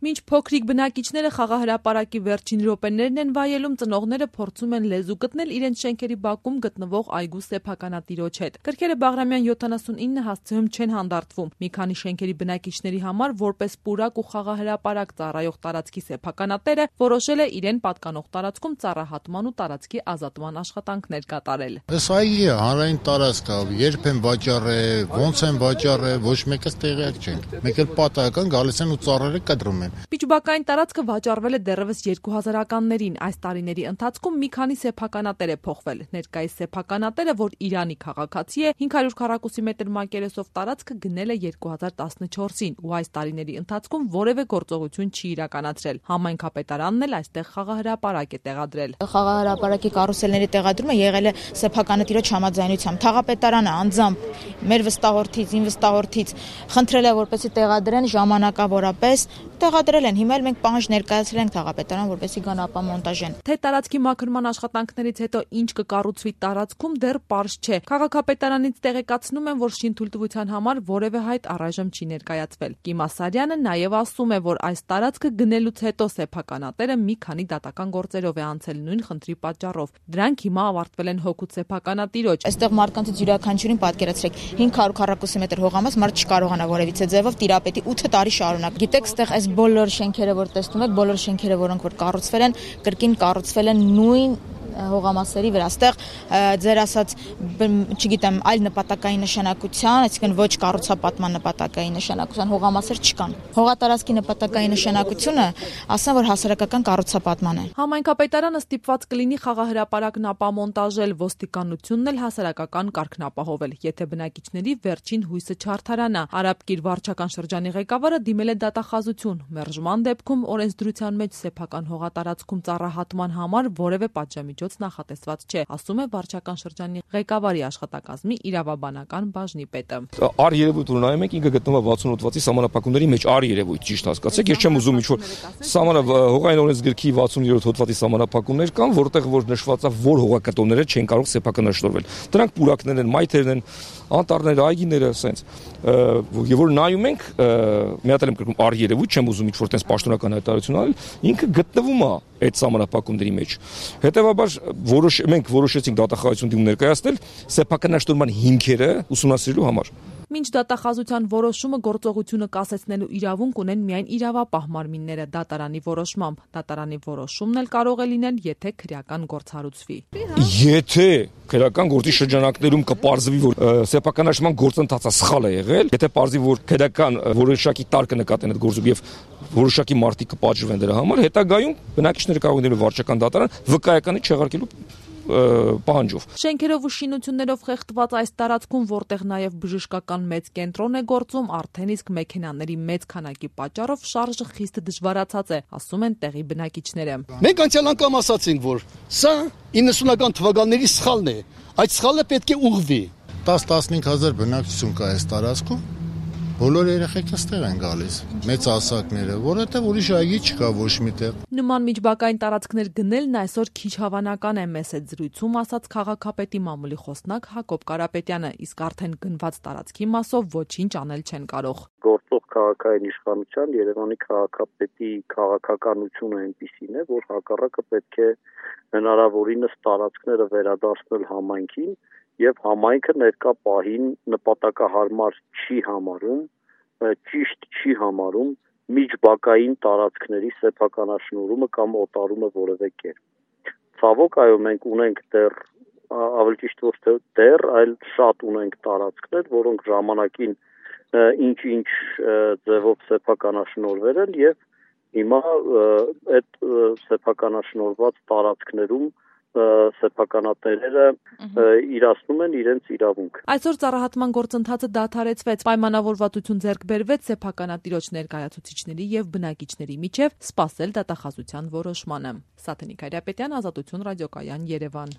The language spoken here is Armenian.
Մինչ փոքրիկ բնակիչները խաղահրապարակի վերջին րոպեներն են վայելում, ծնողները փորձում են լեզու գտնել իրենց շենքերի բակում գտնվող այգու սեփականատիրոջ հետ։ Կրքերը Բաղրամյան 79 հասցեում չեն հանդարտվում։ Մի քանի շենքերի բնակիչների համար որպես պուրակ ու խաղահրապարակ ծառայող տարածքի սեփականատերը որոշել է իրեն պատկանող տարածքում ծառահատման ու տարածքի ազատման աշխատանքներ կատարել։ Այս այգի հանրային տարածք է, երբ են վաճառել, ոնց են վաճառել, ոչ մեկս տեղյակ չենք։ Մեկ էլ պատահական գալիս են ու ծառերը կտրում են։ Միջբակային տարածքը վաճառվել է դեռևս 2000-ականներին։ Այս տարիների ընթացքում մի քանի սեփականատեր է փոխվել։ Ներկայիս սեփականատերը, որ Իրանի քաղաքացի է, 500 քառակուսի մետր մակերեսով տարածքը գնել է 2014-ին ու այս տարիների ընթացքում որևէ գործողություն չի իրականացրել։ Համայնքապետարանն էլ այստեղ խաղահրապարակ է տեղադրել։ Խաղահրապարակի կարուսելների տեղադրումը եղել է սեփականատիրոջ համաձայնությամբ։ Թաղապետարանը անձամբ մեր վստահորդից, իմ վստահորդից խնդրել է, որպեսզի տեղադրեն ժամանակավորապես, տեղադրել են։ Հիմա մենք պահանջ ներկայացրել ենք թաղապետարան, որպեսզի գան ապամոնտաժեն։ Թե տարածքի մաքրման աշխատանքներից հետո ինչ կկառուցվի տարածքում դեռ պարզ չէ։ Քաղաքապետարանից տեղեկացնում են, որ շինթույլտվության համար որևէ հայտ առայժմ չի ներկայացվել։ Կիմ Ասարյանը նաև ասում է, որ այս տարածքը գնելուց հետո սեփականատերը մի քանի դատական գործերով է անցել նույն խնդրի պատճառով։ Դրանք հիմա ավարտվել են հօգուտ սեփականատիրոջ։ Այստեղ մարդկանցից յուրաքանչյուրին պատկերացրեք 500 քառակուսի մետր հողամաս մարդ չկարողանա որևիցե ձևով տիրապետի 8 տարի շարունակ։ Գիտեք, այստեղ այս բոլոր շենքերը, որ տեսնում եք, բոլոր շենքերը, որոնք որ կառուցվել են, կրկին կառուցվել են նույն հողամասերի վրա։ Այստեղ ձեր ասած, չգիտեմ, այլ նպատակային նշանակության, այսինքն ոչ կառուցապատման նպատակային նշանակության հողամասեր չկան։ Հողատարածքի նպատակային նշանակությունը ասեմ, որ հասարակական կառուցապատման է։ Համայնքապետարանը ստիպված կլինի խաղահրապարակն ապամոնտաժել, ոստիկանությունն էլ հասարակական կարգն ապահովել, եթե բնակիչների վերջին հույսը չարդարանա։ Արաբկիր վարչական շրջանի ղեկավարը դիմել է դատախազություն։ Մերժման դեպքում օրենսդրության մեջ սեփական հողատարածքում ծառահատման համար որևէ պատժամիջոց նախատեսված չէ, ասում է վարչական շրջանի ղեկավարի աշխատակազմի իրավաբանական բաժնի պետը։ Ար երևույթ ունայում ենք, ինքը գտնվում է 68 հատվածի սահմանափակումների մեջ, ար երևույթ, ճիշտ հասկացեք, ես չեմ ուզում ինչ-որ հողային օրենսգրքի 67 հատվածի սահմանափակումներ կան, որտեղ որ նշված է, որ հողակտորները չեն կարող սեփականաշնորհվել։ Դրանք պուրակներ են, մայթերն են, անտառները, այգիները, ասենց։ Եվ որ նայում ենք, մի հատ եմ կրկնում, ար երևույթ, չեմ ուզում ինչ-որ տես պաշտոնական հայտարարություն անել, ինքը գտնվում է այդ սահմանափակումների մեջ։ Հետևաբար մենք որոշեցինք դատախազություն դիմում ներկայացնել սեփականաշնորհման հիմքերը ուսումնասիրելու համար։ Մինչ դատախազության որոշումը գործողությունը կասեցնելու իրավունք ունեն միայն իրավապահ մարմինները դատարանի որոշմամբ։ Դատարանի որոշումն էլ կարող է լինել, եթե քրեական գործ հարուցվի։ Եթե քրեական գործի շրջանակներում կպարզվի, որ սեփականաշնորհման գործընթացը սխալ է եղել, եթե պարզվի, որ քրեական որոշակի տար կնկատեն այդ գործում եւ որոշակի մարդիկ կպատժվեն դրա համար, հետագայում բնակիչները կարող են վարչական դատարան վկայականի չեղարկելու պահանջով։ Շենքերով ու շինություններով խեղդված այս տարածքում, որտեղ նաև բժշկական մեծ կենտրոն է գործում, արդեն իսկ մեքենաների մեծ քանակի պատճառով շարժը խիստ դժվարացած է, ասում են տեղի բնակիչները։ Մենք անցյալ անգամ ասացինք, որ սա 90-ական թվականների սխալն է։ Այդ սխալը պետք է ուղղվի։ 10-15 հազար բնակչություն կա այս տարածքում։ Բոլոր երեխեքը ստեղ են գալիս, մեծ ասակները, որովհետև ուրիշ այգի չկա ոչ միտեղ։ Նման միջբակային տարածքներ գնելն այսօր քիչ հավանական է, մեծ այդ զրույցում ասաց քաղաքապետի մամուլի խոսնակ Հակոբ Կարապետյանը, իսկ արդեն գնված տարածքի մասով ոչինչ անել չեն կարող։ Գործող քաղաքային իշխանության Երևանի քաղաքապետի քաղաքականությունը այնպիսին է, որ հակառակը պետք է հնարավորինս տարածքները վերադարձնել համայնքին եւ համայնքը ներկա պահին նպատակահարմար չի համարում, ճիշտ չի համարում միջբակային տարածքների սեփականաշնորհումը կամ օտարումը որևէ կերպ։ Ցավոք, այո, մենք ունենք դեռ ավելի ճիշտ ոչ թե դեռ, այլ շատ ունենք տարածքներ, որոնք ժամանակին ինչ-ինչ ձևով սեփականաշնորհվել են եւ հիմա այդ սեփականաշնորհված տարածքներում սեփականատերերը իրացնում են իրենց իրավունք։ Այսօր ծառահատման գործընթացը դադարեցվեց, պայմանավորվածություն ձեռք բերվեց սեփականատիրոջ ներկայացուցիչների եւ բնակիչների միջև սպասել դատախազության որոշմանը։ Սաթենիկ Հայրապետյան, Ազատություն ռադիոկայան, Երևան։